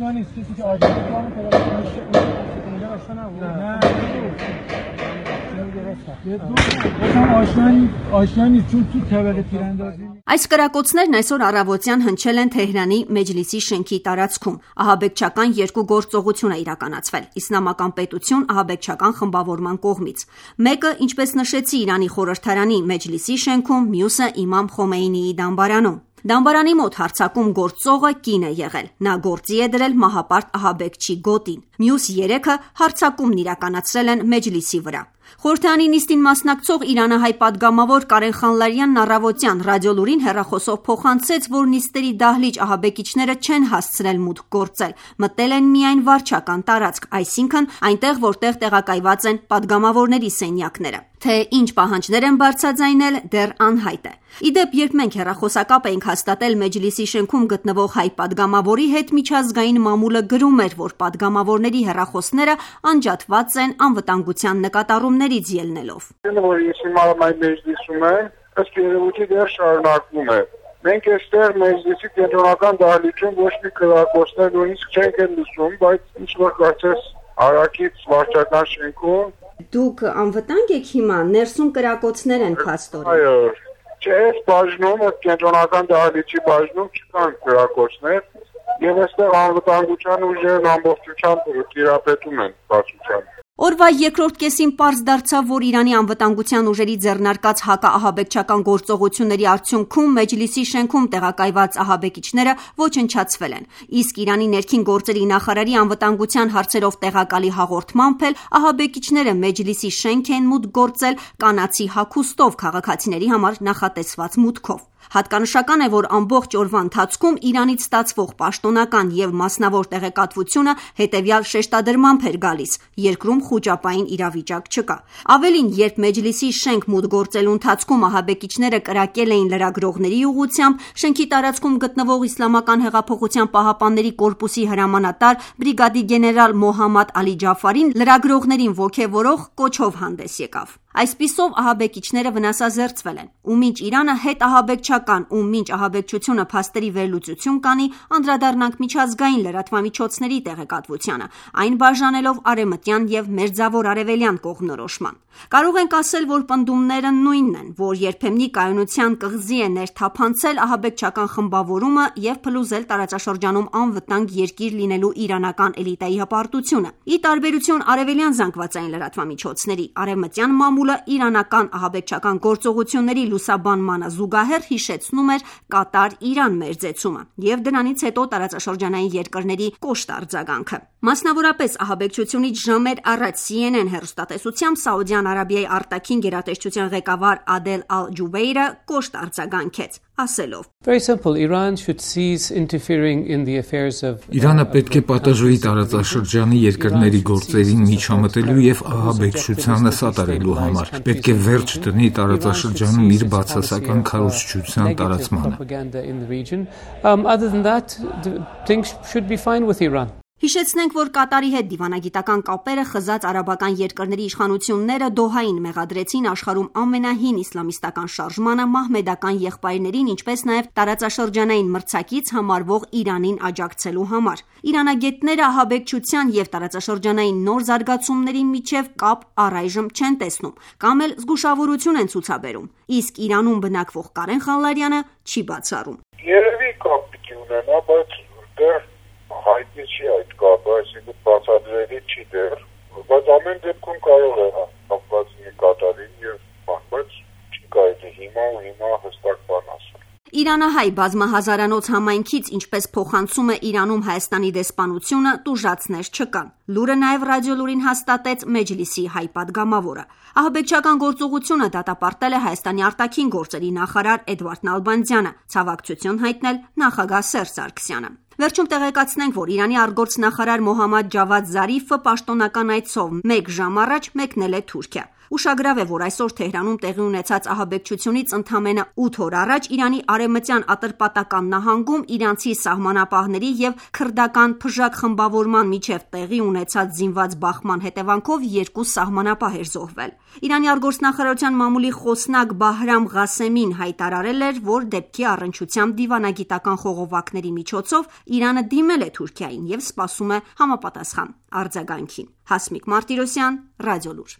آشنایی کسی که آجر Այս կրակոցներն այսօր առավոտյան հնչել են Թեհրանի Մեջլիսի շենքի տարածքում։ Ահաբեկչական երկու գործողություն է իրականացվել Իսլամական պետություն ահաբեկչական խմբավորման կողմից։ Մեկը, ինչպես նշեցի, Իրանի խորհրդարանի Մեջլիսի շենքում, մյուսը Իմամ Խոմեյնիի դամբարանում։ Դամբարանի մոտ հարձակում գործողը կին է եղել։ Նա գործի է դրել մահապարտ ահաբեկչի գոտին։ Մյուս երեքը հարձակումն իրականացրել են Մեջլիսի վրա։ Խորհրդարանի նիստին մասնակցող իրանահայ պատգամավոր Կարեն Խանլարյանն առավոտյան ռադիոլուրին հեռախոսով փոխանցեց, որ նիստերի դահլիճ ահաբեկիչները չեն հասցրել մուտք գործել, մտել են միայն վարչական տարածք, այսինքն այնտեղ, որտեղ տեղակայված են պատգամավորների սենյակները։ Թե ինչ պահանջներ են բարձրաձայնել, դեռ անհայտ է։ Իդեպ, երբ մենք հեռախոսակապ էինք հաստատել Մեջլիսի շենքում գտնվող հայ պատգամավորի հետ, միջազգային մամուլը գրում էր, որ պատգամավորների հեռախոսները անջատված են անվտանգության նկատառումներից ելնելով։ Որ հիմա Մեջլիսում է, ըստ երևույթի դեռ շարունակվում է։ Մենք այստեղ Մեջլիսի կենտրոնական դահլիճում ոչ մի կրակոցներ նույնիսկ չենք լսում, բայց ինչ որ կարծես Արաքից վարչական շենքում Դուք անվտանգ եք հիմա, ներսում կրակոցներ են փաստորեն։ Այո, չէ, բաժնում, կենտրոնական դահլիճի բաժնում չկան կրակոցներ, եւ այստեղ անվտանգության ուժերն ամբողջությամբ տիրապետում են բացության։ Օրվա երկրորդ կեսին պարզ դարձավ, որ Իրանի անվտանգության ուժերի ձեռնարկած հակաահաբեկչական գործողությունների արդյունքում Մեջլիսի շենքում տեղակայված ահաբեկիչները ոչնչացվել են։ Իսկ Իրանի ներքին գործերի նախարարի անվտանգության հարցերով տեղակալի հաղորդմամբ էլ ահաբեկիչները Մեջլիսի շենք են մուտք գործել կանացի հագուստով քաղաքացիների համար նախատեսված մուտքով։ Հատկանշական է, որ ամբողջ օրվա ընթացքում Իրանից ստացվող պաշտոնական եւ մասնավոր տեղեկատվությունը հետեւյալ շեշտադրմամբ էր գալիս. երկրում խուճապային իրավիճակ չկա։ Ավելին, երբ Մեջլիսի շենք մուտք գործելու ընթացքում ահաբեկիչները կրակել էին լրագրողների ուղղությամբ, շենքի տարածքում գտնվող Իսլամական հեղափոխության պահապանների կորպուսի հրամանատար բրիգադի գեներալ Մոհամմադ Ալի Ջաֆարին լրագրողներին ոգևորող կոչով հանդես եկավ։ Այսպիսով ահաբեկիչները վնասազերծվել են, ու մինչ Իրանը հետ ահաբեկչական ու մինչ ահաբեկչությունը փաստերի վերլուծություն կանի, անդրադառնանք միջազգային լրատվամիջոցների տեղեկատվությանը, այն բաժանելով արևմտյան եւ մերձավոր արևելյան կողմնորոշման։ Կարող ենք ասել, որ պնդումները նույնն են, որ երբեմնի կայունության կղզի է ներթափանցել ահաբեկչական խմբավորումը եւ փլուզել տարածաշրջանում անվտանգ երկիր լինելու իրանական էլիտայի հպարտությունը։ Ի տարբերություն արևելյան զանգվածային լրատվամիջոցների, արևմտյան մամուլը իրանական ահաբեկչական գործողությունների լուսաբանմանը զուգահեռ հիշեցնում էր Կատար-Իրան մերձեցումը եւ դրանից հետո տարածաշրջանային երկրների կոշտ արձագանքը։ Մասնավորապես ահաբեկչությունից ժամեր առաջ CNN հեռուստատեսությամբ Սաուդյան Արաբիայի արտաքին գերատեսչության ղեկավար Ադել Ալ-Ջուբեյրը կոշտ արձագանքեց, ասելով. Իրանը պետք է պատժվի տարածաշրջանի երկրների գործերին միջամտելու եւ ահաբեկչությանը սատարելու համար։ Պետք է վերջ դնի տարածաշրջանում իր բացասական քարոզչության տարածմանը։ Հիշեցնենք, որ Կատարի հետ դիվանագիտական կապերը խզած արաբական երկրների իշխանությունները Դոհային մեղադրեցին աշխարհում ամենահին իսլամիստական շարժմանը մահմեդական եղբայրներին, ինչպես նաև տարածաշրջանային մրցակից համարվող Իրանին աջակցելու համար։ Իրանագետները ահաբեկչության եւ տարածաշրջանային նոր զարգացումների միջև կապ առայժմ չեն տեսնում, կամ էլ զգուշավորություն են ցուցաբերում, իսկ Իրանում բնակվող Կարեն Խանլարյանը չի բացառում։ Երևի կապ պիտի ունենա, բայց դեռ հայտնի չի այդ կապը, այսինքն բացատրելի չի դեռ, բայց ամեն դեպքում կարող է հապված լինի Կատարին եւ բայց չի կարելի հիմա հստակ բան ասել։ Իրանահայ բազմահազարանոց համայնքից, ինչպես փոխանցում է Իրանում Հայաստանի դեսպանությունը, տուժածներ չկան։ Լուրը նաև ռադիոլուրին հաստատեց Մեջլիսի հայ պատգամավորը։ Ահաբեկչական գործողությունը դատապարտել է Հայաստանի արտաքին գործերի նախարար Էդվարդ Նալբանդյանը, ցավակցություն հայտնել նախագահ Սերժ Սարգսյանը։ Վերջում տեղեկացնենք, որ Իրանի արտգործնախարար Մոհամմադ Ջավադ Զարիֆը պաշտոնական այցով 1 ժամ առաջ մեկնել է Թուրքիա։ Ուշագրավ է, որ այսօր Թեհրանում տեղի ունեցած ահաբեկչությունից ընդամենը 8 օր առաջ Իրանի արևմտյան Ատրպատական նահանգում իրանցի սահմանապահների և քրդական փժակ խմբավորման միջև տեղի ունեցած զինված բախման հետևանքով 2 սահմանապահ էր զոհվել։ Իրանի արտգործնախարարության մամուլի խոսնակ Բահրամ Ղասեմին հայտարարել էր, որ դեպքի առնչությամբ դիվանագիտական խողովակների միջոցով Իրանը դիմել է Թուրքիային և սպասում է համապատասխան արձագանքին։ Հասմիկ Մարտիրոսյան, Ռադիոլուր։